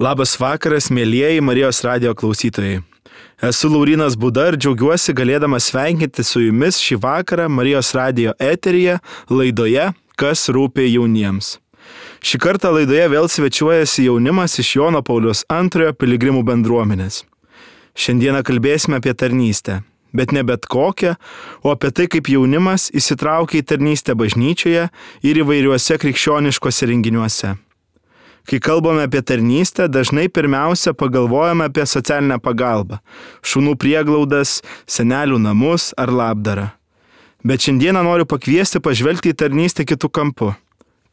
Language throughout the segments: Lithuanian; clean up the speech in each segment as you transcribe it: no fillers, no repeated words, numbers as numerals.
Labas vakaras, mėlyjeji Marijos radijo klausytojai. Esu Laurynas Būda ir džiaugiuosi galėdamas sveikinti su jumis šį vakarą Marijos radijo eteryje laidoje Kas rūpi jauniems. Šį kartą laidoje vėl svečiuojasi jaunimas iš Jono Pauliaus II piligrimų bendruomenės. Šiandieną kalbėsime apie tarnystę, bet ne bet kokią, o apie tai, kaip jaunimas įsitraukia į tarnystę bažnyčioje ir įvairiuose krikščioniškose renginiuose. Kai kalbame apie tarnystę, dažnai pirmiausia pagalvojame apie socialinę pagalbą, šunų prieglaudas, senelių namus ar labdarą. Bet šiandieną noriu pakviesti pažvelgti į tarnystę kitų kampų.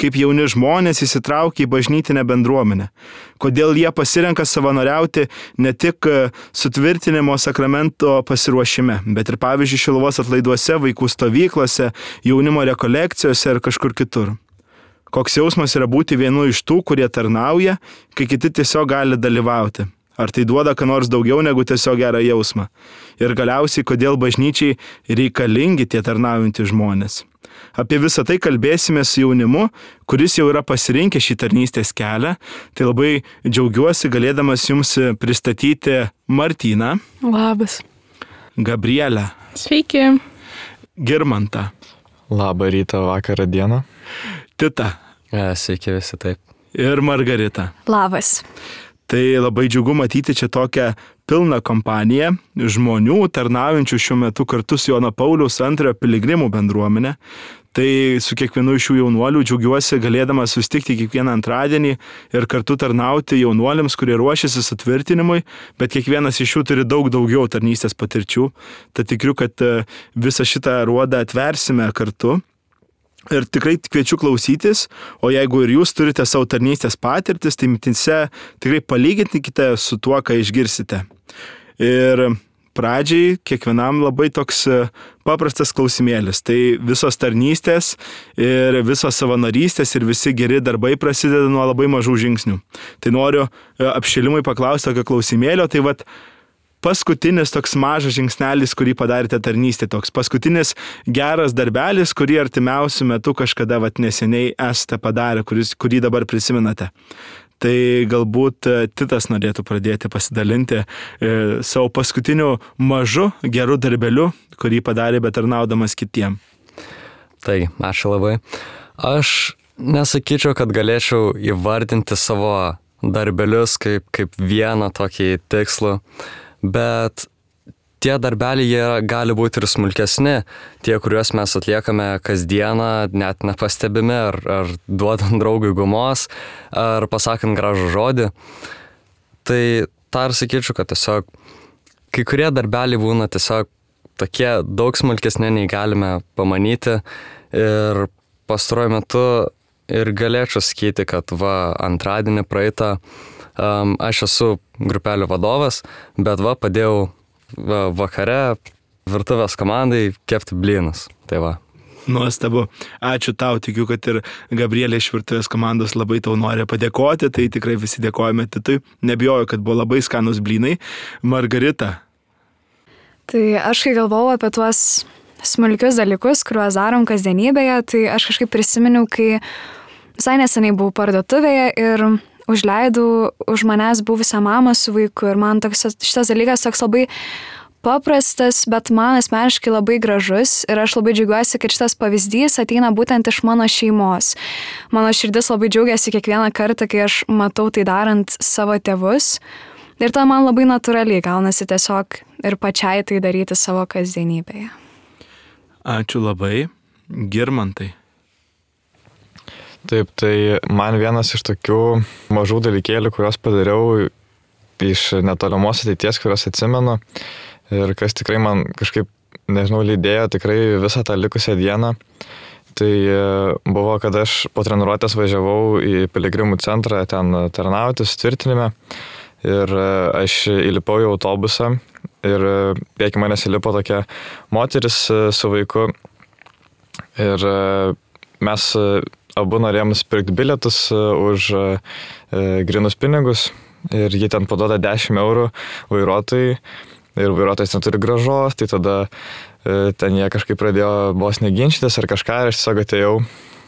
Kaip jauni žmonės įsitraukia į bažnytinę bendruomenę. Kodėl jie pasirenka savanoriauti ne tik sutvirtinimo sakramento pasiruošime, bet ir pavyzdžiui Šiluvos atlaiduose, vaikų stovyklose, jaunimo rekolekcijose ir kažkur kitur. Koks jausmas yra būti vienu iš tų, kurie tarnauja, kai kiti tiesiog gali dalyvauti. Ar tai duoda ką nors daugiau negu tiesiog gerą jausmą? Ir galiausiai, kodėl bažnyčiai reikalingi tie tarnaujantys žmonės? Apie visą tai kalbėsime su jaunimu, kuris jau yra pasirinkę šį tarnystės kelią. Tai labai džiaugiuosi galėdamas jums pristatyti Martyną. Labas. Gabrielę. Sveiki. Girmantą. Labą rytą, vakarą, dieną. Titą. Sveiki visi, taip. Ir Margaritą. Labas. Tai labai džiugu matyti čia tokią pilną kompaniją žmonių tarnaujančių šiuo metu kartu su Jono Pauliaus II piligrimų bendruomenė. Tai su kiekvienu iš šių jaunuolių džiaugiuosi galėdamas susitikti kiekvieną antradienį ir kartu tarnauti jaunuoliams, kurie ruošiasi sutvirtinimui, bet kiekvienas iš jų turi daug daugiau tarnystės patirčių. Tad tikiu, kad visą šitą ruodą atversime kartu. Ir tikrai kviečiu klausytis, o jeigu ir jūs turite savo tarnystės patirtis, tai mintyse tikrai palyginkite su tuo, ką išgirsite. Ir pradžiai kiekvienam labai toks paprastas klausimėlis. Tai visos tarnystės ir visos savanorystės ir visi geri darbai prasideda nuo labai mažų žingsnių. Tai noriu apšilimui paklausti tokio klausimėlio, tai paskutinis toks mažas žingsnelis, kurį padarėte tarnystė, toks paskutinis geras darbelis, kurį artimiausiu metu kažkada neseniai esate padarę, kurį dabar prisimenate. Tai galbūt Titas norėtų pradėti pasidalinti savo paskutiniu mažu geru darbeliu, kurį padarė betarnaudamas kitiem. Tai, ačiū labai. Aš nesakyčiau, kad galėčiau įvardinti savo darbelius kaip vieną tokį tikslų. Bet tie darbeliai jie gali būti ir smulkesni, tie, kuriuos mes atliekame kasdieną, net nepastebimi, ar duodant draugui gumos, ar pasakant gražų žodį. Tai tą ir sakyčiau, kad tiesiog kai kurie darbeliai būna tiesiog tokie daug smulkesni, nei galime pamanyti. Ir pastaruoju metu ir galėčiau sakyti, kad antradienį praeitą aš esu grupelio vadovas, bet padėjau vakare virtuvės komandai kepti blynus. Tai Nuostabu. Ačiū tau, tikiu, kad ir Gabrielė iš virtuvės komandos labai tau nori padėkoti, tai tikrai visi dėkojame Titui. Nebijoju, kad buvo labai skanus blynai. Margarita. Tai aš kai galvojau apie tuos smulkius dalykus, kuriuos darom kasdienybėje, tai aš kažkaip prisiminiau, kai visai neseniai buvau parduotuvėje ir užleidau už manęs buvusią mamą su vaiku ir man šitas dalykas toks labai paprastas, bet man asmeniškai labai gražus ir aš labai džiaugiuosi, kad šitas pavyzdys ateina būtent iš mano šeimos. Mano širdis labai džiaugiasi kiekvieną kartą, kai aš matau tai darant savo tėvus ir ta man labai natūraliai gaunasi tiesiog ir pačiai tai daryti savo kasdienybėje. Ačiū labai. Girmantai. Taip, tai man vienas iš tokių mažų dalykėlių, kuriuos padariau iš netolimos ateities, kuriuos atsimenu ir kas tikrai man kažkaip, lydėjo tikrai visą tą likusią dieną, tai buvo, kad aš po treniruotės važiavau į piligrimų centrą ten tarnauti, sutvirtinime ir aš įlipau į autobusą ir prieki manęs įlipo tokia moteris su vaiku ir mes abu norėjom nusipirkti bilietus už grynus pinigus ir jie ten paduoda 10 eurų vairuotojai ir vairuotojas neturi grąžos, tai tada ten jie kažkaip pradėjo vos neginčytis ar kažką ir aš tiesiog atėjau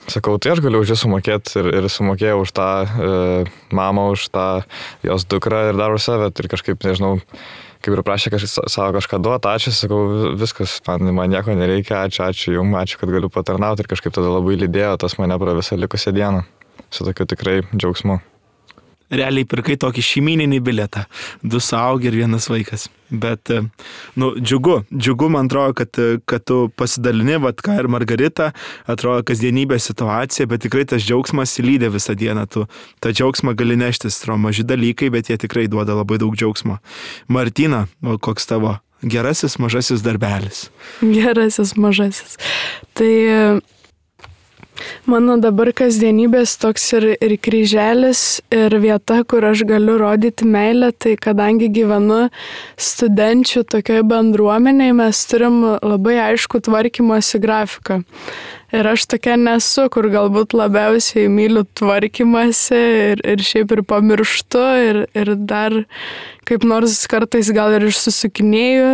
sakau, tai aš galiu už jį sumokėti ir sumokėjau už tą mamą, už tą jos dukrą ir dar už save. Ir kažkaip, nežinau, kaip ir prašė savo kažką duoti, ačiū, sakau, viskas, man nieko nereikia, ačiū jums, ačiū, kad galiu patarnauti ir kažkaip tada labai lydėjo tas mane pro visą likusią dieną. Su tokiu tikrai džiaugsmu. Realiai pirkai tokį šeimyninį bilietą. 2 suaugę ir 1 vaikas. Bet, džiugu, man atrodo, kad tu pasidalini, vat ką ir Margarita, atrodo kasdienybė situacija, bet tikrai tas džiaugsmas lydė visą dieną. Tu tą džiaugsmą gali neštis, maži dalykai, bet jie tikrai duoda labai daug džiaugsmo. Martina, koks tavo gerasis mažasis darbelis? Gerasis mažasis. Tai mano dabar kasdienybės toks ir kryželis, ir vieta, kur aš galiu rodyti meilę, tai kadangi gyvenu studenčių tokioje bendruomenėje, mes turim labai aišku tvarkymosi grafiką. Ir aš tokia nesu, kur galbūt labiausiai myliu tvarkymasi ir šiaip ir pamirštu ir dar kaip nors kartais gal ir išsusukinėju,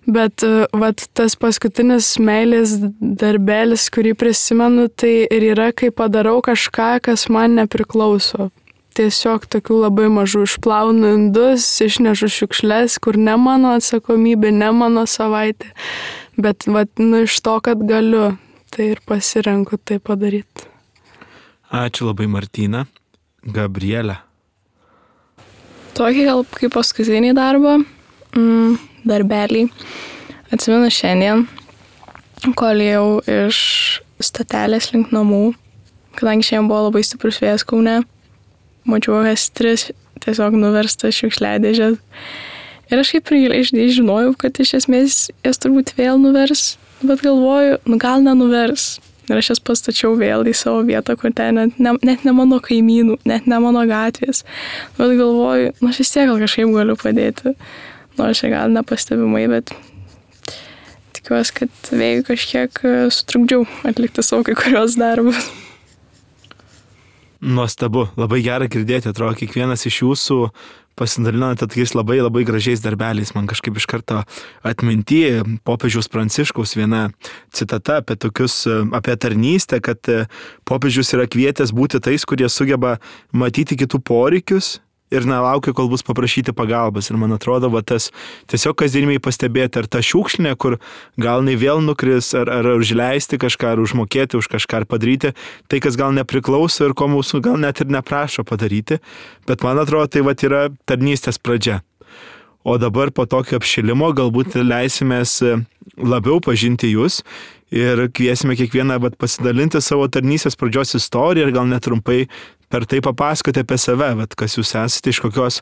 bet vat tas paskutinis meilės darbelis, kurį prisimenu, tai ir yra, kai padarau kažką, kas man nepriklauso. Tiesiog tokių labai mažų išplaunu indus, išnešu šiukšles, kur ne mano atsakomybė, ne mano savaitė, bet vat, iš to, kad galiu. Tai ir pasirenku tai padaryti. Ačiū labai, Martina. Gabrielė. Tokį gal kaip paskutinį darbą, darbelį. Atsimenu šiandien, kol ėjau iš stotelės link namų, kadangi šiandien buvo labai stiprus vėjas Kaune, mačiau S3 tiesiog nuverstas šiukšliadėžės. Ir aš kaip ir žinojau, kad iš esmės jas turbūt vėl nuvers. Bet galvoju, gal nenuvers. Ir aš jas pastačiau vėl į savo vietą, kur ten net ne mano kaimynų, net ne mano gatvės. Bet galvoju, aš vis tiek gal kažkaip galiu padėti. Nors čia gal nepastebimai, bet tikiuosi, kad vėjui kažkiek sutrukdžiau atlikti savo kai kurios darbus. Nuostabu, labai gera girdėti, atrodo, kiekvienas iš jūsų pasidalinote tokiais labai gražiais darbeliais. Man kažkaip iš karto atminti popiežiaus Pranciškaus viena citata apie tarnystę, kad popiežius yra kvietęs būti tais, kurie sugeba matyti kitų poreikius ir nelaukia, kol bus paprašyti pagalbas. Ir man atrodo, tas tiesiog kasdienimiai pastebėti, ar ta šiukšlinė, kur gal nei vėl nukris, ar užleisti kažką, ar užmokėti už kažką, ar padaryti tai, kas gal nepriklauso ir ko mūsų gal net ir neprašo padaryti. Bet man atrodo, tai yra tarnystės pradžia. O dabar po tokio apšilimo galbūt leisimės labiau pažinti jūs ir kviesime kiekvieną pasidalinti savo tarnystės pradžios istoriją ir gal net trumpai per tai papasakoti apie save, kas jūs esate, iš kokios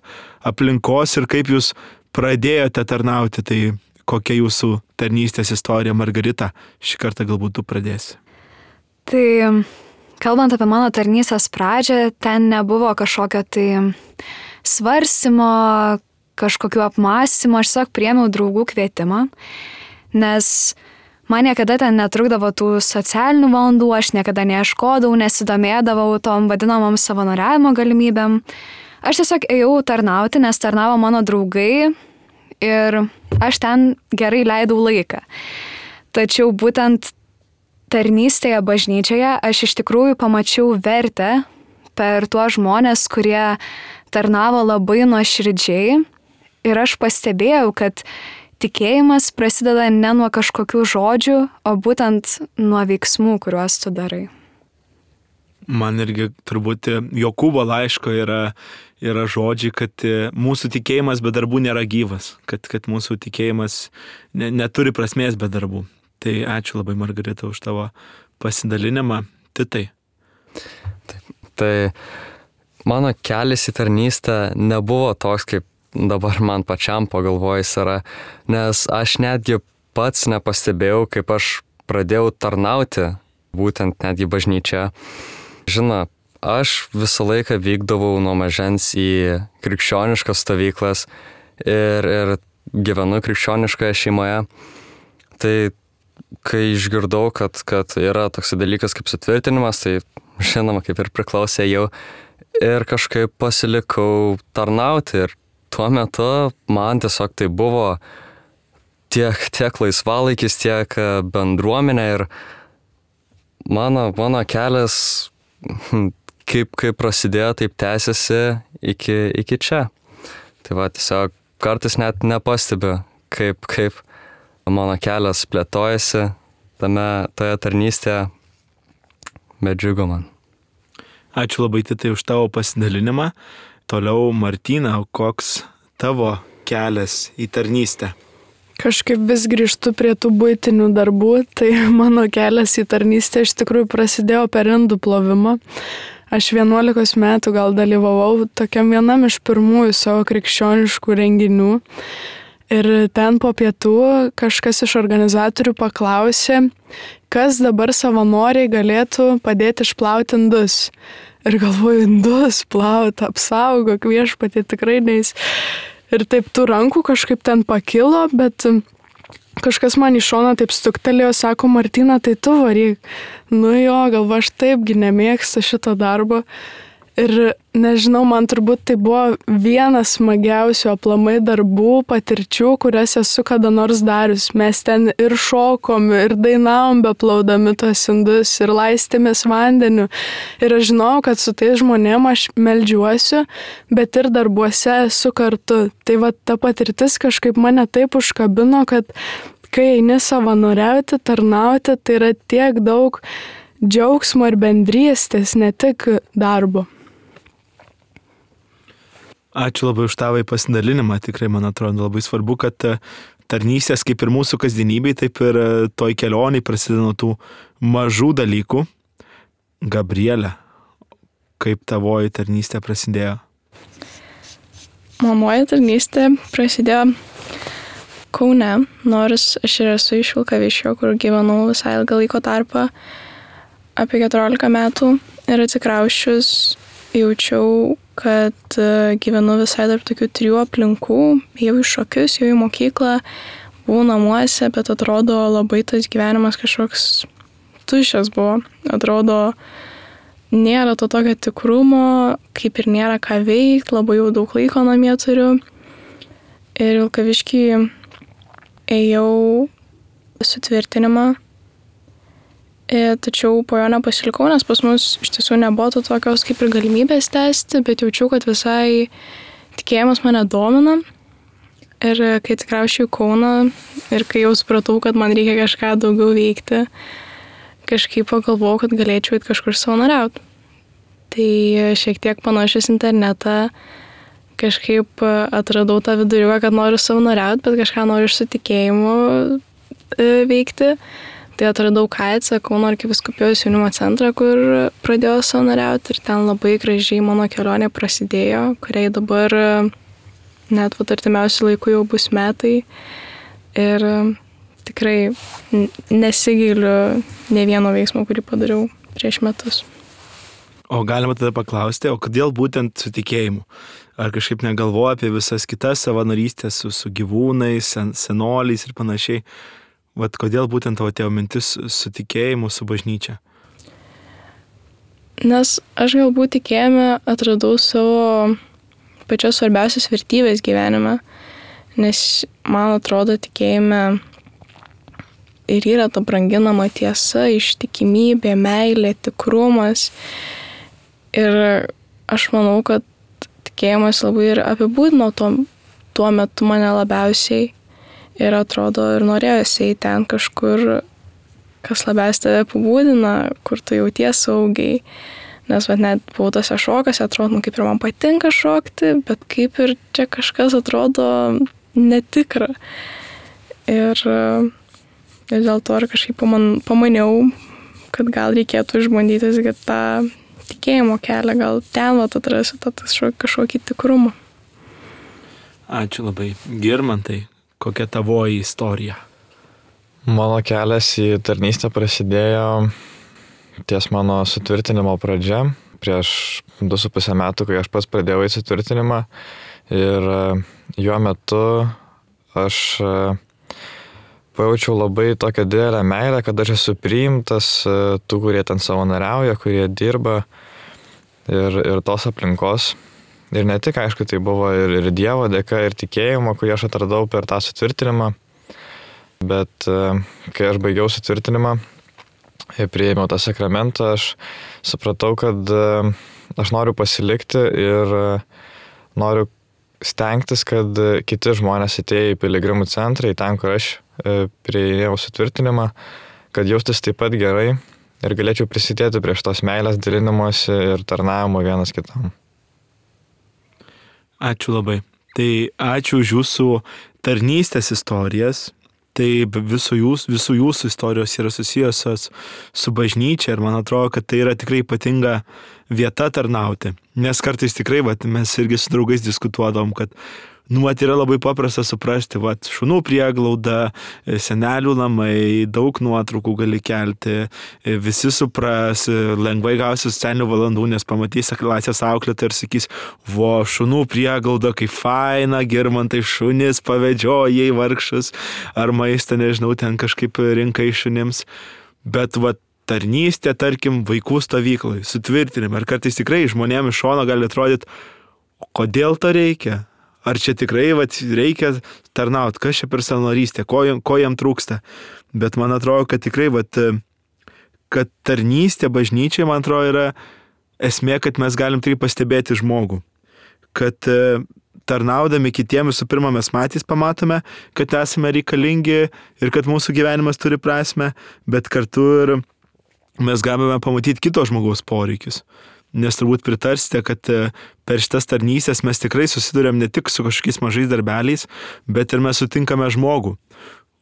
aplinkos ir kaip jūs pradėjote tarnauti. Tai kokia jūsų tarnystės istorija, Margarita? Šį kartą galbūt tu pradėsi. Tai kalbant apie mano tarnystės pradžią, ten nebuvo kažkokio tai svarstymo, kažkokių apmąstymų, aš tiesiog priėmiau draugų kvietimą, nes man niekada ten netrukdavo tų socialinių valandų, aš niekada neieškodavau, nesidomėdavau tom vadinamom savanoriavimo galimybėm. Aš tiesiog ėjau tarnauti, nes tarnavo mano draugai ir aš ten gerai leidau laiką. Tačiau būtent tarnystėje bažnyčioje aš iš tikrųjų pamačiau vertę per tuos žmonės, kurie tarnavo labai nuoširdžiai ir aš pastebėjau, kad tikėjimas prasideda ne nuo kažkokių žodžių, o būtent nuo veiksmų, kuriuos tu darai. Man irgi turbūt Jokūbo laiško yra žodžiai, kad mūsų tikėjimas be darbų nėra gyvas, kad mūsų tikėjimas neturi prasmės be darbų. Tai ačiū labai, Margarita, už tavo pasidalinimą. Titai. Tai mano kelias į tarnystę nebuvo toks, kaip dabar man pačiam pagalvojus yra, nes aš netgi pats nepastebėjau, kaip aš pradėjau tarnauti, būtent netgi bažnyčia. Žinoma, aš visą laiką vykdavau nuo mažens į krikščioniškas stovyklas ir gyvenu krikščioniškoje šeimoje. Tai kai išgirdau, kad yra toks dalykas kaip sutvirtinimas, tai žinoma, kaip ir priklausė jau ir kažkaip pasilikau tarnauti ir tuo metu man tiesiog tai buvo tiek laisvalaikis, tiek bendruomenė ir mano kelias, kaip prasidėjo, taip tęsiasi iki čia. Tai va, tiesiog kartais net nepastebiu, kaip mano kelias plėtojasi toje tarnystėje, bet džiugu man. Ačiū labai Titai už tavo pasidalinimą. Toliau Martyna, koks tavo kelias į tarnystę? Kažkaip vis grįžtu prie tų buitinių darbų, tai mano kelias į tarnystę iš tikrųjų prasidėjo per indų plovimą. Aš 11 metų gal dalyvavau tokiam vienam iš pirmųjų savo krikščioniškų renginių. Ir ten po pietų kažkas iš organizatorių paklausė, kas dabar savanoriai galėtų padėti išplauti indus. Ir galvoju, indus plauti, apsaugok viešpatie, tikrai neis. Ir taip tų rankų kažkaip ten pakilo, bet kažkas man į šoną taip stuktelėjo, sako, Martyna, tai tu varyk. Nu jo, galva, aš taipgi nemėgstu šito darbo. Ir nežinau, man turbūt tai buvo vienas smagiausių aplamai darbų, patirčių, kurias esu kada nors darius. Mes ten ir šokom, ir dainavom beplaudami tos indus, ir laistėmės vandeniu. Ir aš žinau, kad su tais žmonėm aš meldžiuosiu, bet ir darbuose esu kartu. Tai va ta patirtis kažkaip mane taip užkabino, kad kai eini savanoriauti, tarnauti, tai yra tiek daug džiaugsmo ir bendrystės, ne tik darbo. Ačiū labai už tavo pasidalinimą. Tikrai, man atrodo, labai svarbu, kad tarnystės kaip ir mūsų kasdienybei, taip ir toj kelioniai prasideda nuo tų mažų dalykų. Gabrielė, kaip tavoji tarnystė prasidėjo? Mamoji tarnystė prasidėjo Kaune, nors aš ir esu iš Vilkaviškio, kur gyvenau visai ilgą laiko tarpą, apie 14 metų, ir atsikrausčius jaučiau, kad gyvenu visai tarp tokių 3 aplinkų, jau į šokius, jau į mokyklą, buvau namuose, bet atrodo labai tas gyvenimas kažkoks tuščias buvo. Atrodo, nėra to tokio tikrumo, kaip ir nėra ką veikti, labai jau daug laiko namie turiu. Ir Vilkaviškį ėjau sutvirtinimą. Tačiau po jo nepasilikau, nes pas mus iš tiesų nebuvo to tokios kaip ir galimybės tęsti, bet jaučiau, kad visai tikėjimas mane domina. Ir kai atsikrausčiau į Kauną ir kai jau supratau, kad man reikia kažką daugiau veikti, kažkaip pagalvojau, kad galėčiau eiti kažkur savanoriauti. Tai šiek tiek panašius internetą, kažkaip atradau tą viduriuką, kad noriu savanoriauti, bet kažką noriu iš su tikėjimu veikti. Tai atradau KAICą, Kauno arkivyskupijos jaunimo centrą, kur pradėjau savanoriauti, ir ten labai gražiai mano kelionė prasidėjo, kuriai dabar net artimiausiu laiku jau bus metai. Ir tikrai nesigailiu ne vieno veiksmo, kurį padariau prieš metus. O galima tada paklausti, o kodėl būtent su tikėjimu? Ar kažkaip negalvoja apie visas kitas savanorystės su gyvūnais, senoliais ir panašiai? Vat kodėl būtent tavo atėjo mintis su tikėjimu, su bažnyčia? Nes aš galbūt tikėjime atradau savo pačios svarbiausias vertybės gyvenime, nes man atrodo tikėjime ir yra ta branginama tiesa, ištikimybė, meilė, tikrumas. Ir aš manau, kad tikėjimas labai ir apibūdino tuo metu mane labiausiai. Ir atrodo, ir norėjosi eiti ten kažkur, kas labiausiai tave apibūdina, kur tu jauties saugiai. Nes net buvau tose šokose, atrodo, kaip ir man patinka šokti, bet kaip ir čia kažkas atrodo netikra. Ir dėl to ir kažkaip pamaniau, kad gal reikėtų išbandyti tą tikėjimo kelią, gal ten atrasiu kažkokį tikrumą. Ačiū labai. Girmantai, kokia tavoji istorija? Mano kelias į tarnystę prasidėjo ties mano sutvirtinimo pradžia, prieš 2,5 metų, kai aš pats pradėjau į sutvirtinimą. Ir jo metu aš pajaučiau labai tokią didelę meilę, kad aš esu priimtas tų, kurie ten savanoriauja, kurie dirba ir tos aplinkos. Ir ne tik, aišku, tai buvo ir Dievo dėka, ir tikėjimo, kurį aš atradau per tą sutvirtinimą. Bet kai aš baigiau sutvirtinimą, priėmiau tą sakramentą, aš supratau, kad aš noriu pasilikti ir noriu stengtis, kad kiti žmonės atėję į piligrimų centrą, į ten, kur aš priėjau sutvirtinimą, kad jaustis taip pat gerai ir galėčiau prisidėti prie šitos meilės dalinimosi ir tarnavimo vienas kitam. Ačiū labai. Tai ačiū už jūsų tarnystės istorijas. Tai visų jūsų istorijos yra susijusios su bažnyčia ir man atrodo, kad tai yra tikrai ypatinga vieta tarnauti. Nes kartais tikrai, mes irgi su draugais diskutuodom, kad yra labai paprasta suprasti, šunų prieglauda, senelių namai, daug nuotraukų gali kelti, visi supras, lengvai gausi socialinių valandų, nes pamatys klasės auklėtą ir sakys, šunų prieglauda, kaip faina, Girmantai šunis pavedžiojai vargšus, ar maistą, nežinau, ten kažkaip rinkai šunims. Bet tarnystė, tarkim, vaikų stovyklai, sutvirtinimai. Ir kartais tikrai žmonėms iš šono gali atrodyti, kodėl to reikia? Ar čia tikrai reikia tarnauti, kas čia per savanorystė, ko jam trūksta. Bet man atrodo, kad tikrai, kad tarnystė bažnyčiai, man atrodo, yra esmė, kad mes galim tai pastebėti žmogų. Kad tarnaudami kitiems visų pirma mes patys pamatome, kad esame reikalingi ir kad mūsų gyvenimas turi prasmę, bet kartu ir mes galime pamatyti kito žmogaus poreikius. Nes turbūt pritarsite, kad per šitas tarnystės mes tikrai susidurėm ne tik su kažkokiais mažais darbeliais, bet ir mes sutinkame žmogų.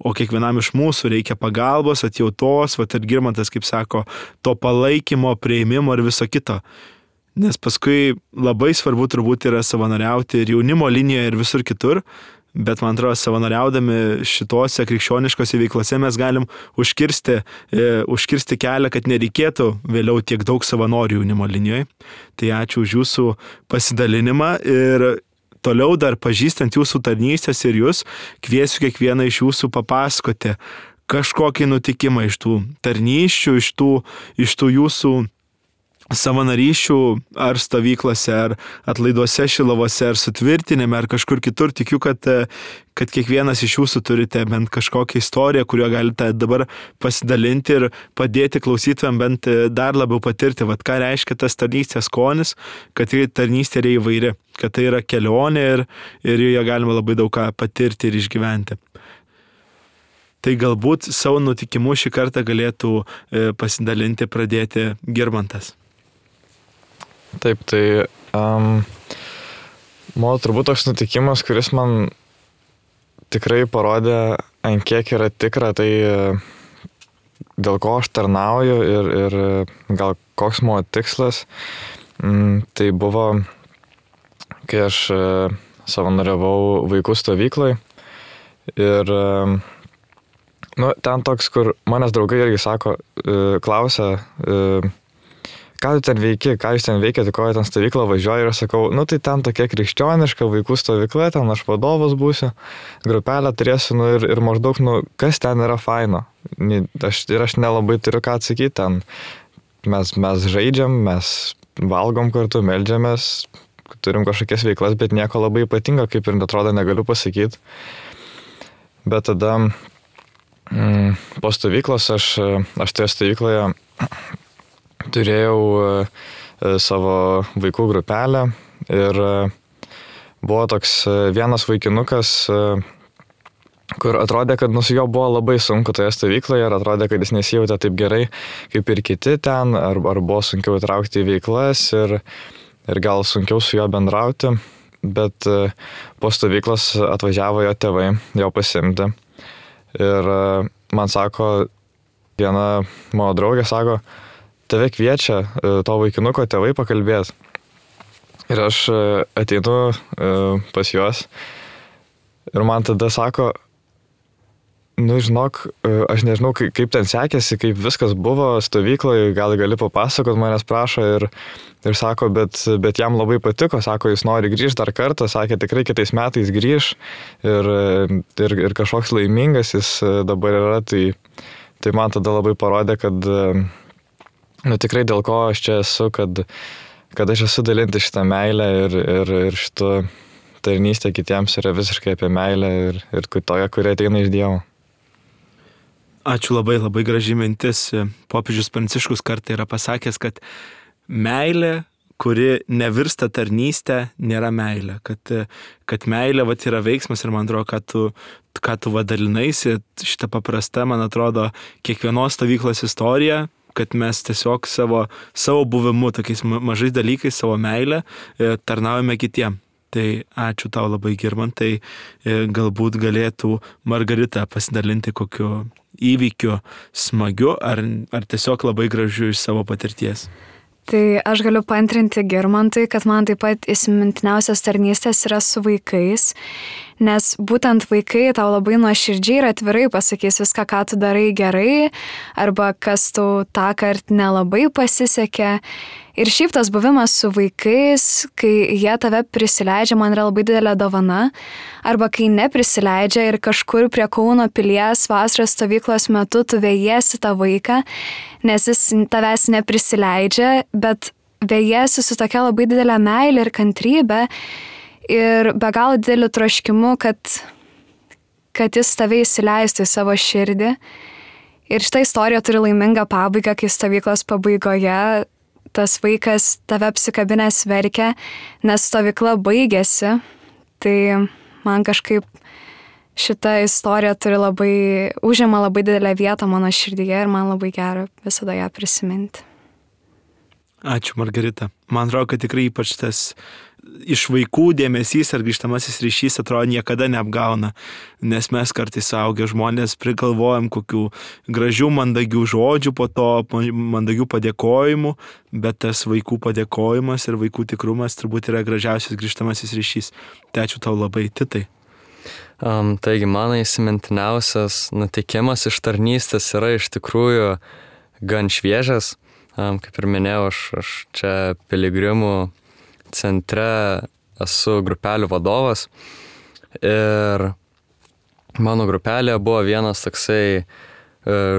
O kiekvienam iš mūsų reikia pagalbos, atjautos, ir Girmantas, kaip sako, to palaikymo, prieimimo ir viso kito. Nes paskui labai svarbu turbūt yra savanoriauti ir jaunimo linijoje ir visur kitur, bet man atrodo, savanoriaudami šitose krikščioniškose veiklose mes galim užkirsti kelią, kad nereikėtų vėliau tiek daug savanorių jaunimo linijoje. Tai ačiū už jūsų pasidalinimą ir toliau dar pažįstant jūsų tarnystės ir jūs, kviesiu kiekvieną iš jūsų papasakoti kažkokį nutikimą iš tų tarnysčių, iš tų jūsų savanaryšių ar stovyklose, ar atlaiduose Šilovose, ar sutvirtinime, ar kažkur kitur. Tikiu, kad kiekvienas iš jūsų turite bent kažkokią istoriją, kuriuo galite dabar pasidalinti ir padėti klausytojams bent dar labiau patirti, ką reiškia tas tarnystės skonis, kad tarnystė yra įvairi, kad tai yra kelionė ir joje galima labai daug ką patirti ir išgyventi. Tai galbūt savo nutikimu šį kartą galėtų pasidalinti, pradėti Girmantas. Taip, tai mano turbūt toks nutikimas, kuris man tikrai parodė, ant kiek yra tikra, tai dėl ko aš tarnauju ir gal koks mano tikslas, tai buvo, kai aš savanoriavau vaikų stovyklai ir ten toks, kur manęs draugai irgi sako, klausia, ką tu ten veiki, ką jūs ten veikėte, ko ten stovyklą važiuoja ir aš sakau, tai ten tokia krikščioniška vaikų stovykla, ten aš vadovas būsiu, grupelę turėsiu, ir maždaug, kas ten yra faino. Aš nelabai turiu ką atsakyti, ten mes žaidžiam, mes valgom kartu, meldžiamės, turim kažkokias veiklas, bet nieko labai ypatingo, kaip ir atrodo, negaliu pasakyti. Bet tada po stovyklos aš toje stovykloje turėjau savo vaikų grupelę ir buvo toks vienas vaikinukas, kur atrodė, kad su juo buvo labai sunku toje stovykloje ir atrodė, kad jis nesijautė taip gerai kaip ir kiti ten, ar buvo sunkiau įtraukti į veiklas ir gal sunkiau su juo bendrauti, bet po stovyklos atvažiavo jo tėvai, jo pasiimti. Ir man sako, viena mano draugė sako, tave kviečia to vaikinuko tėvai pakalbėti. Ir aš ateinu pas juos ir man tada sako, žinok, aš nežinau, kaip ten sekėsi, kaip viskas buvo stovykloje, gal gali papasakot, manęs prašo ir sako, bet jam labai patiko, sako, jis nori grįžti dar kartą, sakė, tikrai kitais metais grįž ir kažkoks laimingas jis dabar yra, tai man tada labai parodė, kad tikrai dėl ko aš čia esu, kad aš esu dalinti šitą meilę ir šitą tarnystę kitiems yra visiškai apie meilę ir toje, kuri ateina iš Dievo. Ačiū labai, labai graži mintis. Popiežius Pranciškus kartą yra pasakęs, kad meilė, kuri nevirsta tarnystė, nėra meilė. Kad meilė yra veiksmas ir man atrodo, ką tu vadalinaisi, šitą paprastą, man atrodo, kiekvienos stovyklos istorija, kad mes tiesiog savo buvimu, tokiais mažais dalykais, savo meilę tarnaujame kitiem. Tai ačiū tau labai, Girmantai. Galbūt galėtų Margarita pasidalinti kokiu įvykiu smagiu ar tiesiog labai gražiu iš savo patirties. Tai aš galiu paantrinti Girmantui, kad man taip pat įsimintiniausias tarnystės yra su vaikais, nes būtent vaikai tau labai nuoširdžiai ir atvirai pasakys viską, ką tu darai gerai, arba kas tau tą kartą nelabai pasisekė. Ir šiaip tas buvimas su vaikais, kai jie tave prisileidžia, man yra labai didelė dovana, arba kai neprisileidžia ir kažkur prie Kauno pilies vasaros stovyklos metu tu vejiesi tą vaiką, nes jis tavęs neprisileidžia, bet vejiesi su tokia labai didelė meilė ir kantrybė ir be galo dideliu troškimu, kad jis tave įsileistų į savo širdį. Ir šitą istoriją turi laimingą pabaigą, kai stovyklos pabaigoje tas vaikas tave apsikabinęs verkia, nes stovykla baigėsi. Tai man kažkaip šita istorija užima labai didelę vietą mano širdyje ir man labai gera visada ją prisiminti. Ačiū, Margarita. Man atrodo, kad tikrai ypač tas iš vaikų dėmesys ar grįžtamasis ryšys atrodo niekada neapgauna, nes mes kartais suaugę žmonės prigalvojam kokių gražių, mandagių žodžių, po to mandagių padėkojimų, bet tas vaikų padėkojimas ir vaikų tikrumas turbūt yra gražiausias grįžtamasis ryšys. Tai ačiū tau labai, Titai. Taigi, mano įsimintiniausias nutikimas iš tarnystės yra iš tikrųjų gan šviežias. Kaip ir minėjau, aš čia Piligrimų centre esu grupelių vadovas ir mano grupelėje buvo vienas toksai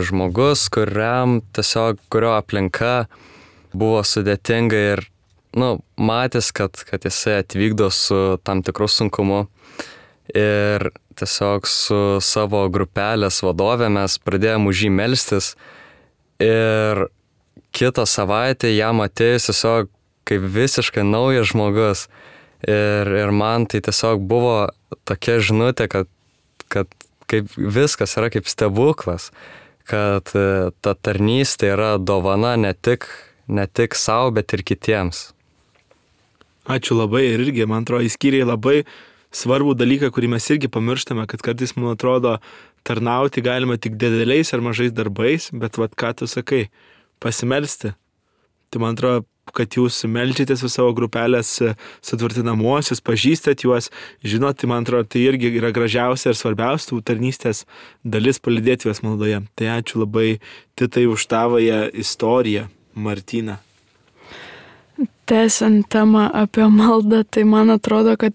žmogus, kurio aplinka buvo sudėtinga ir matys, kad jisai atvykdo su tam tikru sunkumu ir tiesiog su savo grupelės vadove mes pradėjome už jį melstis ir kitą savaitę jam atėjus tiesiog kaip visiškai naujas žmogus. Ir man tai tiesiog buvo tokia žinutė, kad kaip viskas yra kaip stebuklas, kad ta tarnystė yra dovana ne tik savo, bet ir kitiems. Ačiū labai ir irgi, man atrodo, įskyrė labai svarbų dalyką, kurį mes irgi pamirštame, kad kartais, man atrodo, tarnauti galima tik dideliais ar mažais darbais, bet ką tu sakai, pasimelsti. Tai man atrodo, kad jūs meldžiatės su savo grupelės sutvirtinamuosius, pažįstat juos, žinot, tai man atrodo, tai irgi yra gražiausia ir svarbiausia tų tarnystės dalis palydėti juos maldoje. Tai ačiū labai, Titai, už tavąją istoriją, Martyna. Tęsiant temą apie maldą, tai man atrodo, kad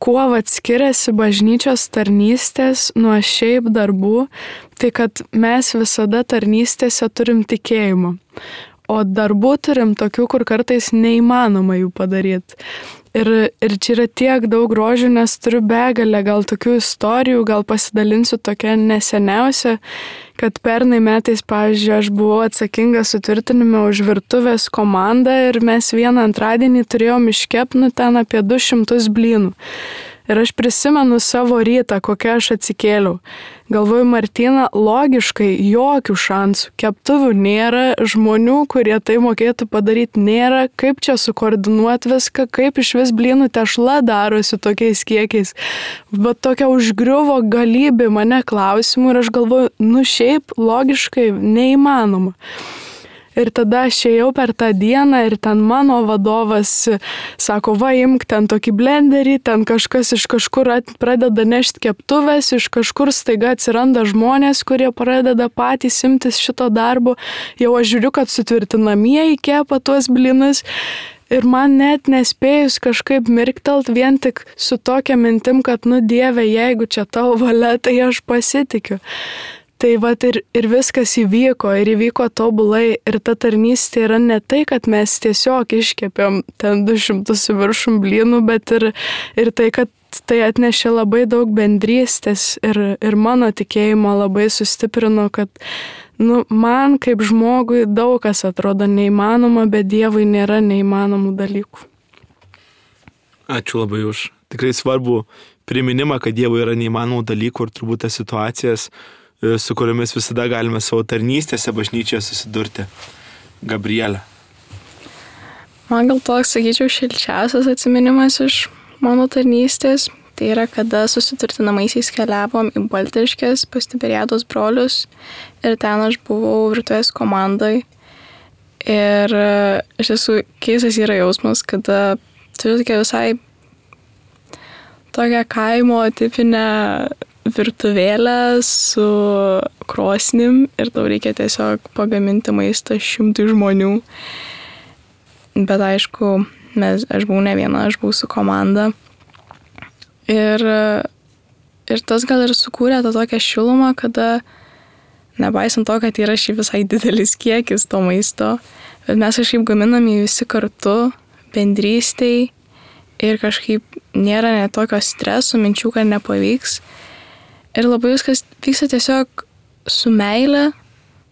kuo skiriasi bažnyčios tarnystės nuo šiaip darbų, tai kad mes visada tarnystėse turim tikėjimą. O darbų turim tokių, kur kartais neįmanoma jų padaryti. Ir čia yra tiek daug grožių, nes turiu begalę gal tokių istorijų, gal pasidalinsiu tokia neseniausia, kad pernai metais, pavyzdžiui, aš buvau atsakinga sutvirtinime už virtuvės komandą ir mes vieną antradienį turėjom iškepti ten apie 200 blynų. Ir aš prisimenu savo rytą, kokią aš atsikėliau. Galvoju, Martyna, logiškai jokių šansų. Keptuvių nėra, žmonių, kurie tai mokėtų padaryti, nėra. Kaip čia sukoordinuoti viską, kaip iš vis blynų tešla darosi tokiais kiekiais. Bet tokia užgriuvo galybė mane klausimų ir aš galvoju, šiaip logiškai neįmanoma. Ir tada aš ėjau per tą dieną ir ten mano vadovas sako, imk ten tokį blenderį, ten kažkas iš kažkur pradeda nešti keptuvės, iš kažkur staiga atsiranda žmonės, kurie pradeda patys imtis šito darbo. Jau aš žiūriu, kad sutvirtinamieji kepa tuos blynus. Ir man net nespėjus kažkaip mirktelt vien tik su tokia mintim, kad Dieve, jeigu čia tavo valia, tai aš pasitikiu. Tai vat ir viskas įvyko tobulai ir ta tarnystė yra ne tai, kad mes tiesiog iškepėm ten 200 viršum blynų, bet ir tai, kad tai atnešė labai daug bendrystės ir mano tikėjimo labai sustiprino, kad man kaip žmogui daug kas atrodo neįmanoma, bet Dievui nėra neįmanomų dalykų. Ačiū labai už tikrai svarbu priminimą, kad Dievui yra neįmanomų dalykų ir turbūt tas situacijas, su kuriomis visada galime savo tarnystėse bažnyčioje susidurti. Gabrielė. Man gal toks, sakyčiau, šilčiausias atsiminimas iš mano tarnystės. Tai yra, kada susiturtinamaisiais keliavom į Baltriškes pas Tiberiados brolius ir ten aš buvau virtuvės komandai. Ir iš tiesų keistas yra jausmas, kada turiu tokia visai tokią kaimo tipinę virtuvėlę su krosnim ir tau reikia tiesiog pagaminti maistą 100 žmonių. Bet aišku, aš buvau ne viena, aš buvau su komanda. Ir tas gal ir sukūrė tą tokią šilumą, kada nepaisant to, kad yra šiaip visai didelis kiekis to maisto, bet mes kažkaip gaminame visi kartu, bendrystėj ir kažkaip nėra net tokio streso, minčių, kad nepavyks. Ir labai viskas vyksta tiesiog su meile,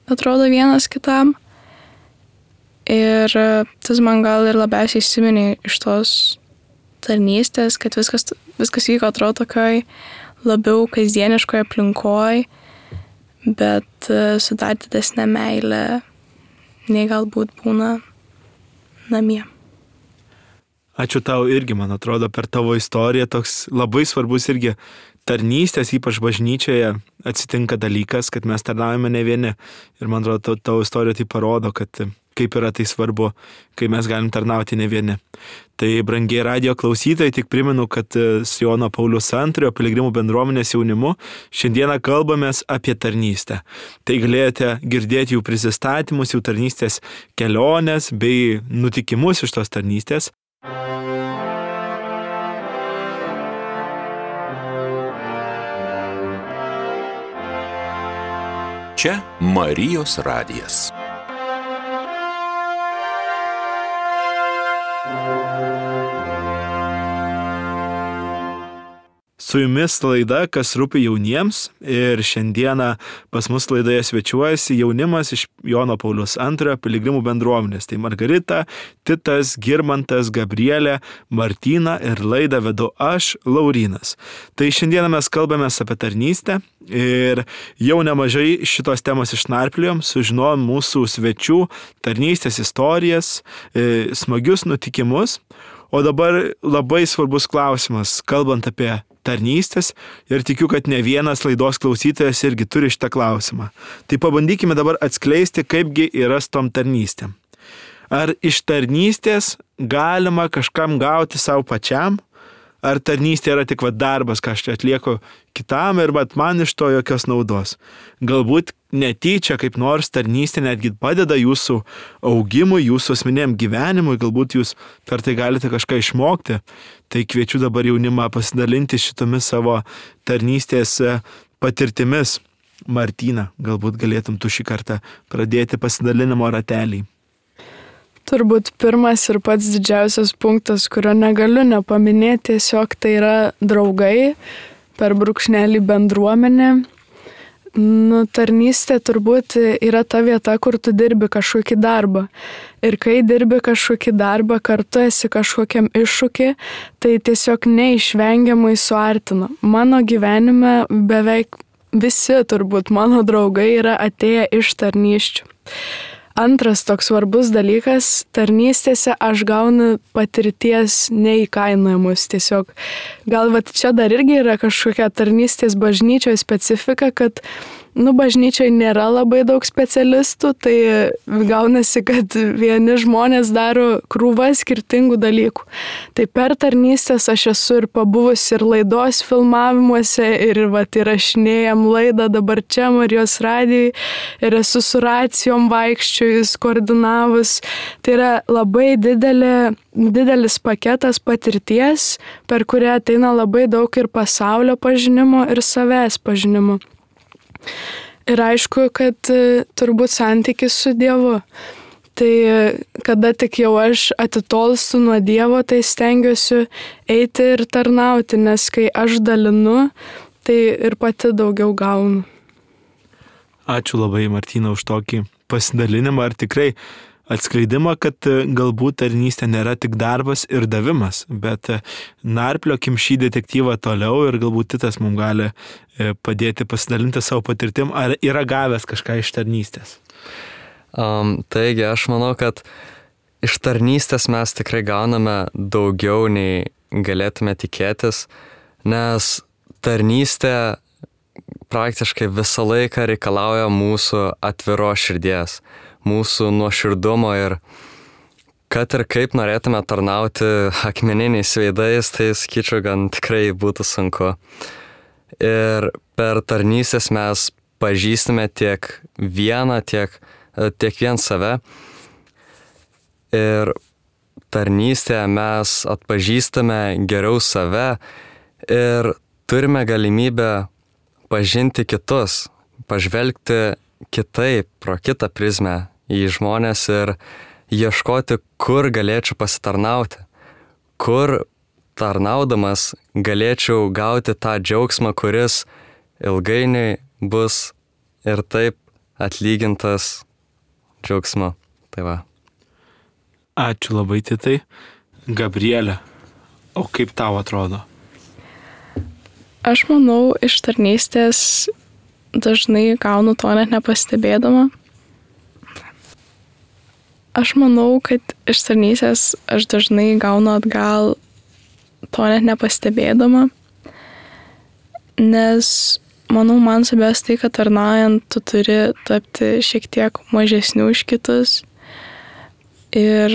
atrodo vienas kitam. Ir tas man gal ir labiausiai įsiminė iš tos tarnystės, kad viskas vyko atrodo tokioj labiau kasdieniškoje aplinkoj, bet su dar didesnė meilė, nei galbūt būna namie. Ačiū tau irgi, man atrodo, per tavo istoriją toks labai svarbus irgi tarnystės, ypač bažnyčioje, atsitinka dalykas, kad mes tarnaujame ne vieni. Ir man atrodo, tavo istorija tai parodo, kad kaip yra tai svarbu, kai mes galim tarnauti ne vieni. Tai, brangiai radijo klausytojai, tik primenu, kad su Jono Pauliaus II piligrimų bendruomenės jaunimu šiandieną kalbamės apie tarnystę. Tai galėjote girdėti jų prisistatymus, jų tarnystės kelionės bei nutikimus iš tos tarnystės. Čia Marijos radijas. Su jumis laida, kas rūpi jauniems, ir šiandieną pas mus laidoje svečiuojasi jaunimas iš Jono Pauliaus II piligrimų bendruomenės. Tai Margarita, Titas, Girmantas, Gabrielė, Martyna ir laidą vedu aš, Laurynas. Tai šiandieną mes kalbamės apie tarnystę ir jau nemažai šitos temos išnarpliojom, sužinojom mūsų svečių tarnystės istorijas, smagius nutikimus. O dabar labai svarbus klausimas, kalbant apie tarnystės, ir tikiu, kad ne vienas laidos klausytojas irgi turi šitą klausimą. Tai pabandykime dabar atskleisti, kaipgi yra su tom tarnystėm. Ar iš tarnystės galima kažkam gauti savo pačiam? Ar tarnystė yra tik darbas, ką aš atlieku kitam ir man iš to jokios naudos? Galbūt netyčia kaip nors tarnystė netgi padeda jūsų augimui, jūsų asmeniniam gyvenimui, galbūt jūs per tai galite kažką išmokti. Tai kviečiu dabar jaunimą pasidalinti šitomis savo tarnystės patirtimis. Martyna, galbūt galėtum tu šį kartą pradėti pasidalinimo ratelį. Turbūt pirmas ir pats didžiausias punktas, kurio negaliu nepaminėti, tiesiog tai yra draugai, per brūkšnelį bendruomenė. Tarnystė turbūt yra ta vieta, kur tu dirbi kažkokį darbą. Ir kai dirbi kažkokį darbą, kartu esi kažkokiam iššūkį, tai tiesiog neišvengiamai suartina. Mano gyvenime beveik visi turbūt mano draugai yra atėję iš tarnysčių. Antras toks svarbus dalykas, tarnystėse aš gaunu patirties neįkainojamus. Tiesiog gal čia dar irgi yra kažkokia tarnystės bažnyčioje specifika, kad bažnyčioje nėra labai daug specialistų, tai gaunasi, kad vieni žmonės daro krūvą skirtingų dalykų. Tai per tarnystės aš esu ir pabuvusi ir laidos filmavimuose, ir įrašinėjam laidą dabar čia Marijos radijui, ir esu su racijom vaikščiojus, koordinavus. Tai yra labai didelis paketas patirties, per kurią ateina labai daug ir pasaulio pažinimo, ir savęs pažinimo. Ir aišku, kad turbūt santykis su Dievu. Tai kada tik jau aš atitolstu nuo Dievo, tai stengiuosi eiti ir tarnauti, nes kai aš dalinu, tai ir pati daugiau gaunu. Ačiū labai, Martyna, už tokį pasidalinimą ir tikrai atskleidimą, kad galbūt tarnystė nėra tik darbas ir davimas, bet narpliokim šį detektyvą toliau ir galbūt Titas mums gali padėti pasidalinti savo patirtim, ar yra gavęs kažką iš tarnystės. Taigi, aš manau, kad iš tarnystės mes tikrai gauname daugiau nei galėtume tikėtis, nes tarnystė praktiškai visą laiką reikalauja mūsų atviros širdies, mūsų nuoširdumo ir kad ir kaip norėtume tarnauti akmeniniais veidais, tai sakyčiau, gan tikrai būtų sunku. Ir per tarnystės mes pažįstame tiek vieną, tiek vien save. Ir tarnystėje mes atpažįstame geriau save ir turime galimybę pažinti kitus, pažvelgti kitaip, pro kitą prizmę į žmonės ir ieškoti, kur galėčiau pasitarnauti, kur tarnaudamas galėčiau gauti tą džiaugsmą, kuris ilgainiui bus ir taip atlygintas džiaugsmu. Tai va. Ačiū labai, Titai. Gabrielė, o kaip tau atrodo? Aš manau, iš tarnystės dažnai gaunu to net nepastebėdama. Aš manau, kad iš tarnystės aš dažnai gaunu atgal to net nepastebėdama, nes manau, man svarbiausia tai, kad tarnaujant tu turi tapti šiek tiek mažesniu už kitus ir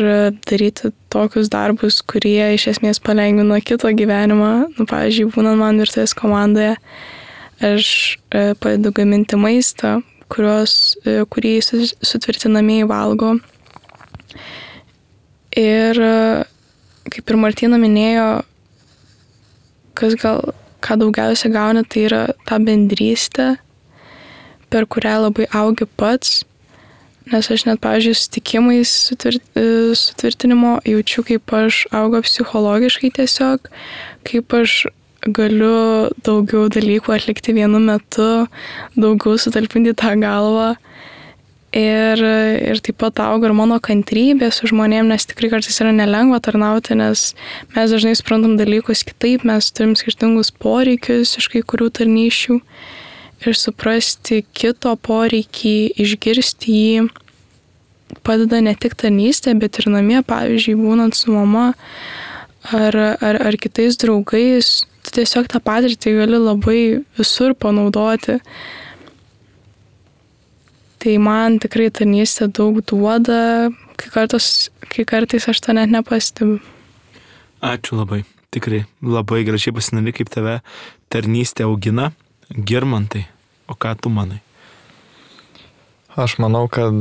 daryti tokius darbus, kurie iš esmės palengvina kito gyvenimą. Pavyzdžiui, būnant man virtuvės komandoje, aš padedu gaminti maistą, kurį sutvirtinamieji valgo. Ir kaip ir Martyna minėjo, ką daugiausia gauni, tai yra ta bendrystė, per kurią labai augi pats. Nes aš net, pavyzdžiui, sutikimais sutvirtinimo jaučiu, kaip aš augo psichologiškai tiesiog, kaip aš galiu daugiau dalykų atlikti vienu metu, daugiau sutalpinti tą galvą. Ir taip pat auga ir mano kantrybė su žmonėm, nes tikrai kartais yra nelengva tarnauti, nes mes dažnai suprantam dalykus kitaip, mes turim skirtingus poreikius iš kai kurių tarnysčių. Ir suprasti kito poreikį, išgirsti jį, padeda ne tik tarnystė, bet ir namie, pavyzdžiui, būnant su mama ar kitais draugais, tu tiesiog tą patirtį gali labai visur panaudoti. Tai man tikrai tarnystė daug duoda, kai kartais aš to net nepastebiu. Ačiū labai, tikrai labai gražiai pasidalini, kaip tave tarnystė augina. Girmantai, o ką tu manai? Aš manau, kad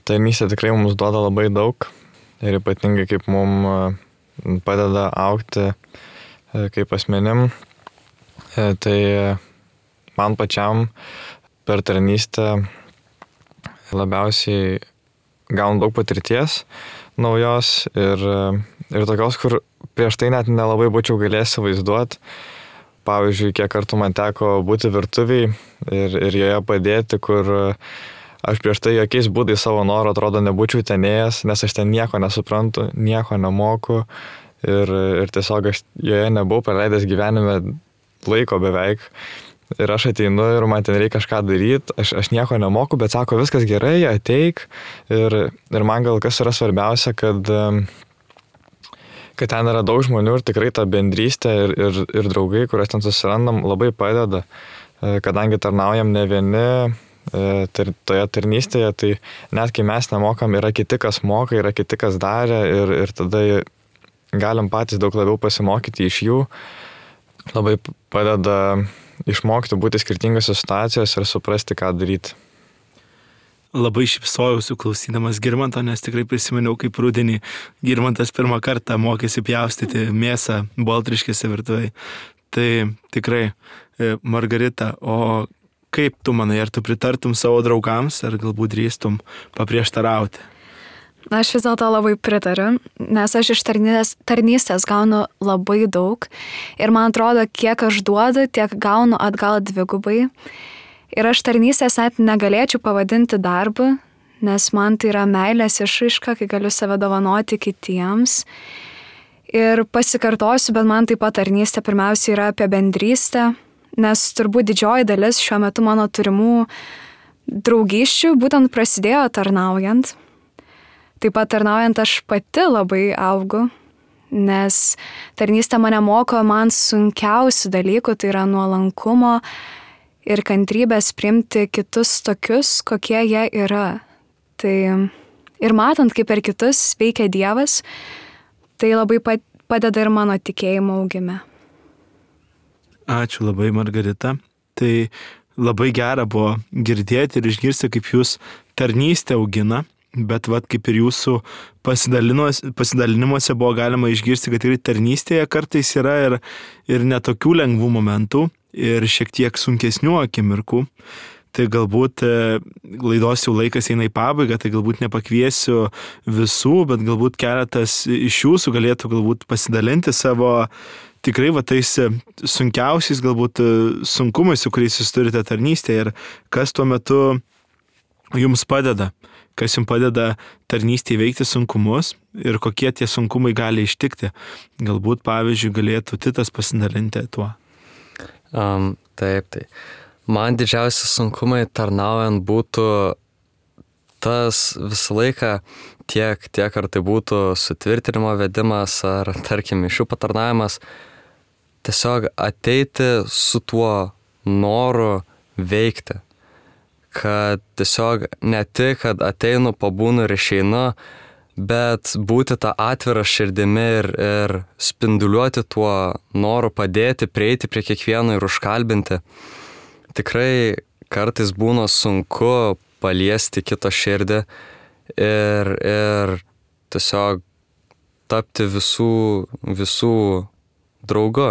tarnystė tikrai mums duoda labai daug ir ypatingai kaip mums padeda augti kaip asmenim. Tai man pačiam per tarnystę labiausiai gaunu daug patirties naujos ir tokios, kur prieš tai net nelabai būčiau galėjęs įsivaizduoti. Pavyzdžiui, kiek kartų man teko būti virtuviai ir joje padėti, kur aš prieš tai jokiais būdais savo norų atrodo nebūčiau tenėjęs, nes aš ten nieko nesuprantu, nieko nemoku ir tiesiog aš joje nebuvau praleidęs gyvenime laiko beveik. Ir aš ateinu ir man ten reikia kažką daryti, aš nieko nemoku, bet sako, viskas gerai, ateik. Ir man gal kas yra svarbiausia, kad ten yra daug žmonių ir tikrai ta bendrystė ir draugai, kuriuos ten susirandam, labai padeda, kadangi tarnaujam ne vieni toje tarnystėje, tai net kai mes nemokam, yra kiti, kas moka, yra kiti, kas darė ir tada galim patys daug labiau pasimokyti iš jų. Labai padeda išmokti būti skirtingose situacijose ir suprasti, ką daryti. Labai šypsojausi klausydamas Girmanto, nes tikrai prisiminiau, kaip rudenį Girmantas pirmą kartą mokėsi pjaustyti mėsą Baltriškėse virtuvėje. Tai tikrai, Margarita, o Kaip tu manai, ar tu pritartum savo draugams, ar galbūt drįstum paprieštarauti? Aš vis dėlto labai pritariu, nes aš iš tarnystės gaunu labai daug ir man atrodo, kiek aš duodu, tiek gaunu atgal dvigubai. Ir aš tarnystės net negalėčiau pavadinti darbu, nes man tai yra meilės išraiška, kai galiu save dovanoti kitiems. Ir pasikartosiu, bet man taip pat tarnystė pirmiausia yra apie bendrystę, nes turbūt didžioji dalis šiuo metu mano turimų draugysčių būtent prasidėjo tarnaujant. Taip pat tarnaujant aš pati labai augu, nes tarnystė mane moko man sunkiausių dalykų, tai yra nuolankumo ir kantrybės priimti kitus tokius, kokie jie yra. Tai ir matant, kaip per kitus veikia Dievas, tai labai padeda ir mano tikėjimo augime. Ačiū labai, Margarita. Tai labai gera buvo girdėti ir išgirsti, kaip jūs tarnystę augina. Bet kaip ir jūsų pasidalinimuose buvo galima išgirsti, kad ir tarnystėje kartais yra ir netokių lengvų momentų ir šiek tiek sunkesnių akimirkų. Tai galbūt laidos jau laikas eina į pabaigą, tai galbūt nepakviesiu visų, bet galbūt keletas iš jūsų galėtų galbūt pasidalinti savo tikrai tais sunkiausiais galbūt sunkumais, su kuriais jūs turite tarnystėje ir kas tuo metu jums padeda. Kas jums padeda tarnystėje veikti sunkumus ir kokie tie sunkumai gali ištikti. Galbūt, pavyzdžiui, galėtų Titas pasidalinti tuo. Taip. Man didžiausi sunkumai tarnaujant būtų tas visą laiką, tiek ar tai būtų sutvirtinimo vedimas, ar tarkim mišių patarnavimas, tiesiog ateiti su tuo noru veikti. Kad tiesiog ne tik, kad ateinu, pabūnu ir išeinu, bet būti tą atvirą širdimi ir spinduliuoti tuo noru padėti, prieiti prie kiekvieno ir užkalbinti. Tikrai kartais būna sunku paliesti kito širdį ir tiesiog tapti visų draugu.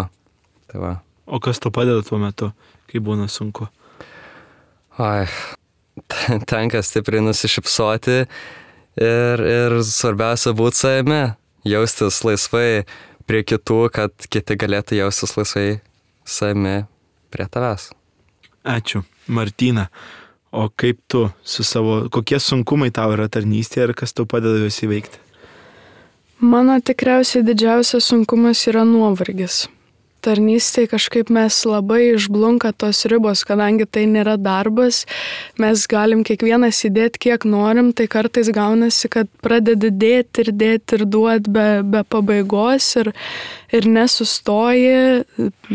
Tai va. O kas to padeda tuo metu, kai būna sunku? Tenka stipriai nusišypsoti ir svarbiausia būti savimi, jaustis laisvai prie kitų, kad kiti galėtų jaustis laisvai savimi prie tavęs. Ačiū. Martyna, o kaip tu kokie sunkumai tau yra tarnystėje ir kas tau padeda juos įveikti? Mano tikriausiai didžiausias sunkumas yra nuovargis. Tarnystėje kažkaip mes labai išblunka tos ribos, kadangi tai nėra darbas, mes galim kiekvienas įdėti kiek norim, tai kartais gaunasi, kad pradedi dėti ir duoti be pabaigos ir nesustoji,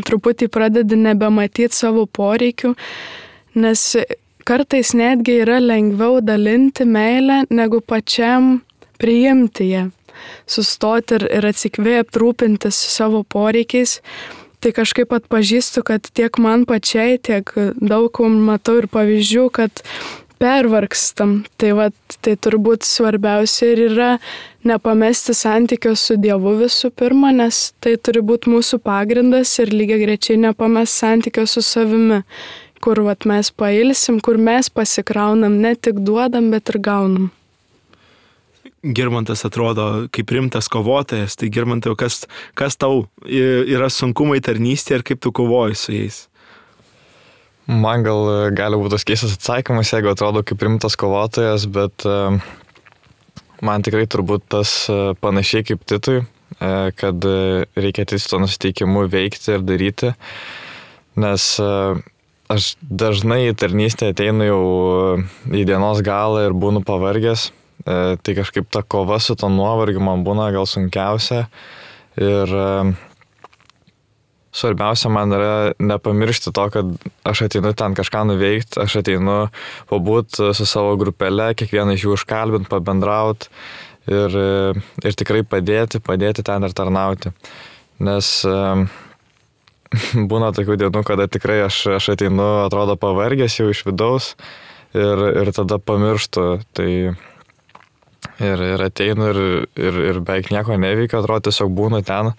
truputį pradedi nebematyti savo poreikių, nes kartais netgi yra lengviau dalinti meilę, negu pačiam priimti ją, sustoti ir atsikvėpti, rūpintis savo poreikiais. Tai kažkaip atpažįstu, kad tiek man pačiai, tiek daug matau ir pavyzdžių, kad pervargstam. Tai turbūt svarbiausia ir yra nepamesti santykio su Dievu visų pirma, nes tai turi būti mūsų pagrindas ir lygiagrečiai nepamesti santykio su savimi, kur mes pailsim, kur mes pasikraunam, ne tik duodam, bet ir gaunam. Girmantas atrodo kaip rimtas kovotojas, tai Girmantai, kas tau yra sunkumai tarnystėje ir kaip tu kovoji su jais? Man gali būti tas keistas atsakymas, jeigu atrodo kaip rimtas kovotojas, bet man tikrai turbūt tas panašiai kaip Titui, kad reikia su to nusiteikimu veikti ir daryti, nes aš dažnai į tarnystę ateinu jau į dienos galą ir būnu pavargęs. Tai kažkaip ta kova su to nuovargiu man būna gal sunkiausia ir svarbiausia man yra nepamiršti to, kad aš ateinu ten kažką nuveikti, aš ateinu pabūti su savo grupele, kiekvieną iš jų užkalbinti, pabendrauti ir tikrai padėti ten ir tarnauti. Nes būna tokių dienų, kada tikrai aš ateinu, atrodo pavargęs jau iš vidaus ir tada pamirštu. Tai Ir ateinu ir beveik nieko neveikia, atrodo tiesiog būnu ten,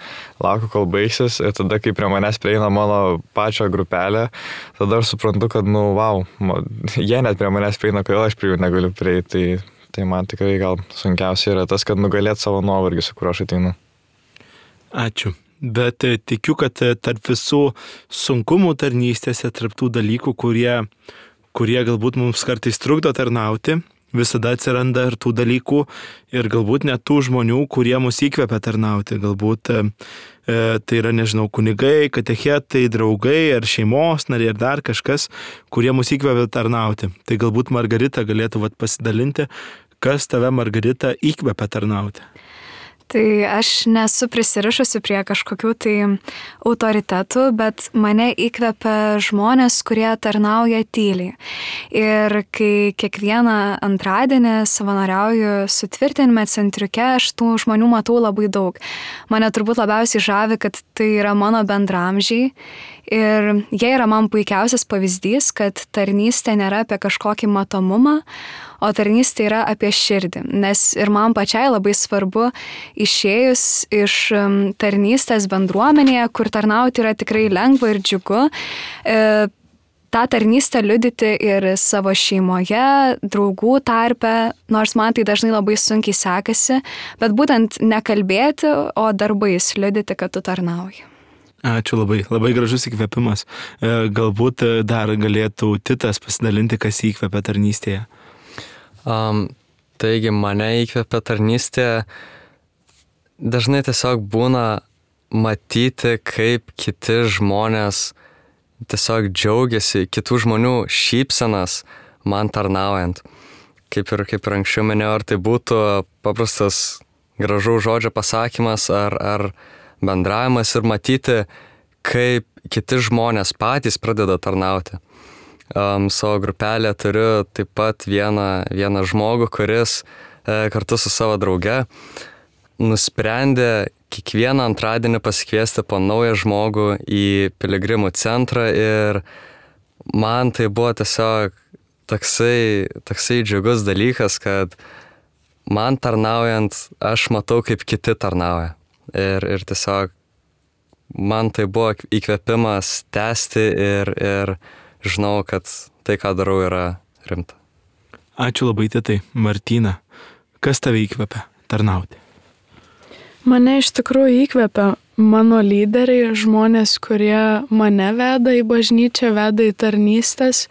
laukiu, kol baigsis ir tada, kai prie manęs prieina mano pačio grupelė, tada aš suprantu, kad, jie net prie manęs prieina, kodėl aš prie jų negaliu prieiti. Tai man tikrai gal sunkiausia yra tas, kad nugalėt savo nuovargį, su kuriuo aš ateinu. Ačiū. Bet tikiu, kad tarp visų sunkumų tarnystėse, tarp tų dalykų, kurie galbūt mums kartais trukdo tarnauti, visada atsiranda ir tų dalykų ir galbūt net tų žmonių, kurie mus įkvepia tarnauti. Galbūt tai yra, nežinau, kunigai, katechetai, draugai ar šeimos nariai ar dar kažkas, kurie mus įkvepia tarnauti. Tai galbūt Margarita galėtų pasidalinti, kas tave, Margarita, įkvepia tarnauti. Tai aš nesu prisirišusi prie kažkokių tai autoritetų, bet mane įkvepia žmonės, kurie tarnauja tyliai. Ir kai kiekvieną antradienį savanoriauju sutvirtinime centriuke, aš tų žmonių matau labai daug. Mane turbūt labiausiai žavi, kad tai yra mano bendramžiai. Ir jie yra man puikiausias pavyzdys, kad tarnystė nėra apie kažkokį matomumą, o tarnystė yra apie širdį. Nes ir man pačiai labai svarbu išėjus iš tarnystės bendruomenėje, kur tarnauti yra tikrai lengva ir džiugu, tą tarnystę liudyti ir savo šeimoje, draugų tarpe, nors man tai dažnai labai sunkiai sekasi, bet būtent nekalbėti, o darbais liudyti, kad tu tarnauji. Ačiū labai, labai gražus įkvėpimas. Galbūt dar galėtų Titas pasidalinti, kas įkvėpia tarnystėje. Taigi mane įkvėpia tarnystėje dažnai tiesiog būna matyti, kaip kiti žmonės tiesiog džiaugiasi, kitų žmonių šypsenas man tarnaujant. Kaip ir anksčiau minėjau, ar tai būtų paprastas gražaus žodžio pasakymas ar bendravimas ir matyti, kaip kiti žmonės patys pradeda tarnauti. Savo grupelę turiu taip pat vieną žmogų, kuris kartu su savo drauge nusprendė kiekvieną antradienį pasikviesti po naują žmogų į piligrimų centrą ir man tai buvo tiesiog toksai džiugus dalykas, kad man tarnaujant aš matau, kaip kiti tarnauja. Ir tiesiog man tai buvo įkvėpimas tęsti ir žinau, kad tai, ką darau, yra rimta. Ačiū labai, Titai. Martyna, kas tave įkvėpia tarnauti? Mane iš tikrųjų įkvėpia mano lyderiai, žmonės, kurie mane veda į bažnyčią, veda į tarnystės.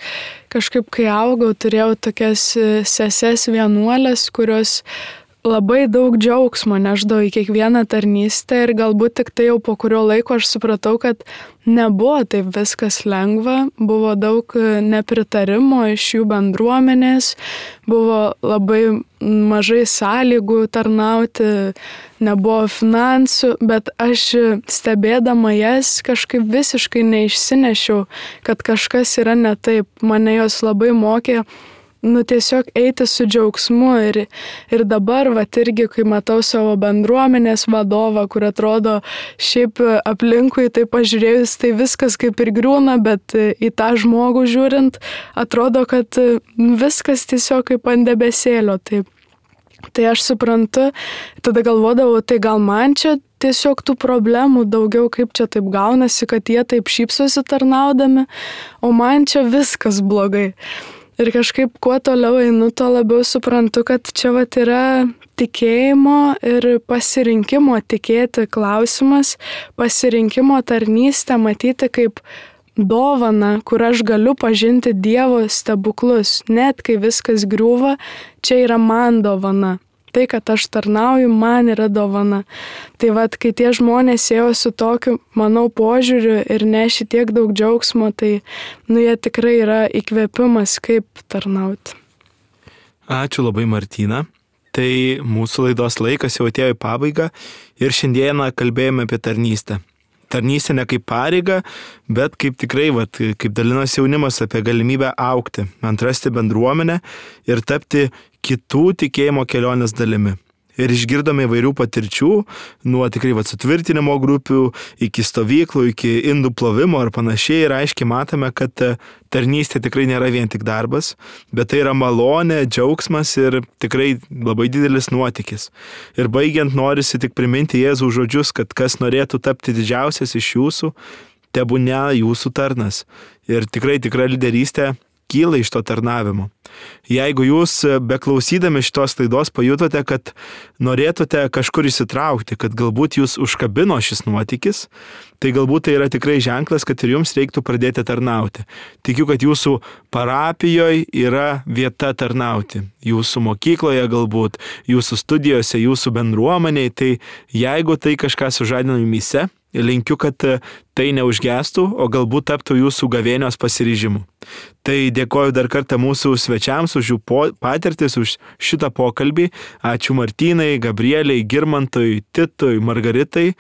Kažkaip, kai augau, turėjau tokias seses vienuolės, kurios labai daug džiaugsmo neždavo į kiekvieną tarnystę ir galbūt tik tai jau po kurio laiko aš supratau, kad nebuvo taip viskas lengva, buvo daug nepritarimo iš jų bendruomenės, buvo labai mažai sąlygų tarnauti, nebuvo finansų, bet aš stebėdama jas kažkaip visiškai neišsinešiau, kad kažkas yra ne taip. Mane jos labai mokė tiesiog eiti su džiaugsmu ir dabar, irgi, kai matau savo bendruomenės vadovą, kur atrodo šiaip aplinkui tai pažiūrėjus, tai viskas kaip ir griūna, bet į tą žmogų žiūrint, atrodo, kad viskas tiesiog kaip ant debesėlio. Tai aš suprantu, tada galvodavau, tai gal man čia tiesiog tų problemų daugiau, kaip čia taip gaunasi, kad jie taip šypsosi tarnaudami, o man čia viskas blogai. Ir kažkaip kuo toliau einu, tuo labiau suprantu, kad čia yra tikėjimo ir pasirinkimo tikėti klausimas, pasirinkimo tarnystę matyti kaip dovaną, kur aš galiu pažinti Dievo stebuklus. Net kai viskas griūva, čia yra man dovana. Tai, kad aš tarnauju, man yra dovana. Tai kai tie žmonės ėjo su tokiu, manau, požiūriu ir neši tiek daug džiaugsmo, tai jie tikrai yra įkvėpimas, kaip tarnauti. Ačiū labai, Martyna. Tai mūsų laidos laikas jau atėjo į pabaigą ir šiandieną kalbėjome apie tarnystę. Tarnystė ne kaip pareiga, bet kaip tikrai, kaip dalinosi jaunimas apie galimybę augti, atrasti bendruomenę ir tapti kitų tikėjimo kelionės dalimi. ir išgirdome įvairių patirčių, nuo tikrai sutvirtinimo grupių, iki stovyklų, iki indų plovimo ir panašiai. Ir aiškiai matome, kad tarnystė tikrai nėra vien tik darbas, bet tai yra malonė, džiaugsmas ir tikrai labai didelis nuotykis. Ir baigiant norisi tik priminti Jėzaus žodžius, kad kas norėtų tapti didžiausias iš jūsų, tebūne jūsų tarnas. Ir tikrai tikra lyderystė kyla iš to tarnavimo. Jeigu jūs beklausydami šitos laidos pajutote, kad norėtumėte kažkur įsitraukti, kad galbūt jūs užkabino šis nuotykis, tai galbūt tai yra tikrai ženklas, kad ir jums reiktų pradėti tarnauti. Tikiu, kad jūsų parapijoje yra vieta tarnauti. Jūsų mokykloje galbūt, jūsų studijose, jūsų bendruomeniai. Tai jeigu tai kažką sužadino jumyse, linkiu, kad tai neužgestų, o galbūt taptų jūsų gavėnios pasiryžimu. Tai dėkoju dar kartą mūsų svečiams už jų patirtis, už šitą pokalbį. Ačiū Martynai, Gabrieliai, Girmantui, Titui, Margaritai.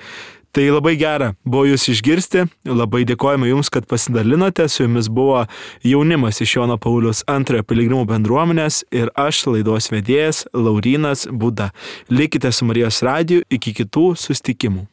Tai labai gera buvo jūs išgirsti. Labai dėkojame jums, kad pasidalinote. Su jumis buvo jaunimas iš Jono Pauliaus II piligrimų bendruomenės ir aš, laidos vedėjas Laurynas Buda. Likite su Marijos radiju iki kitų susitikimų.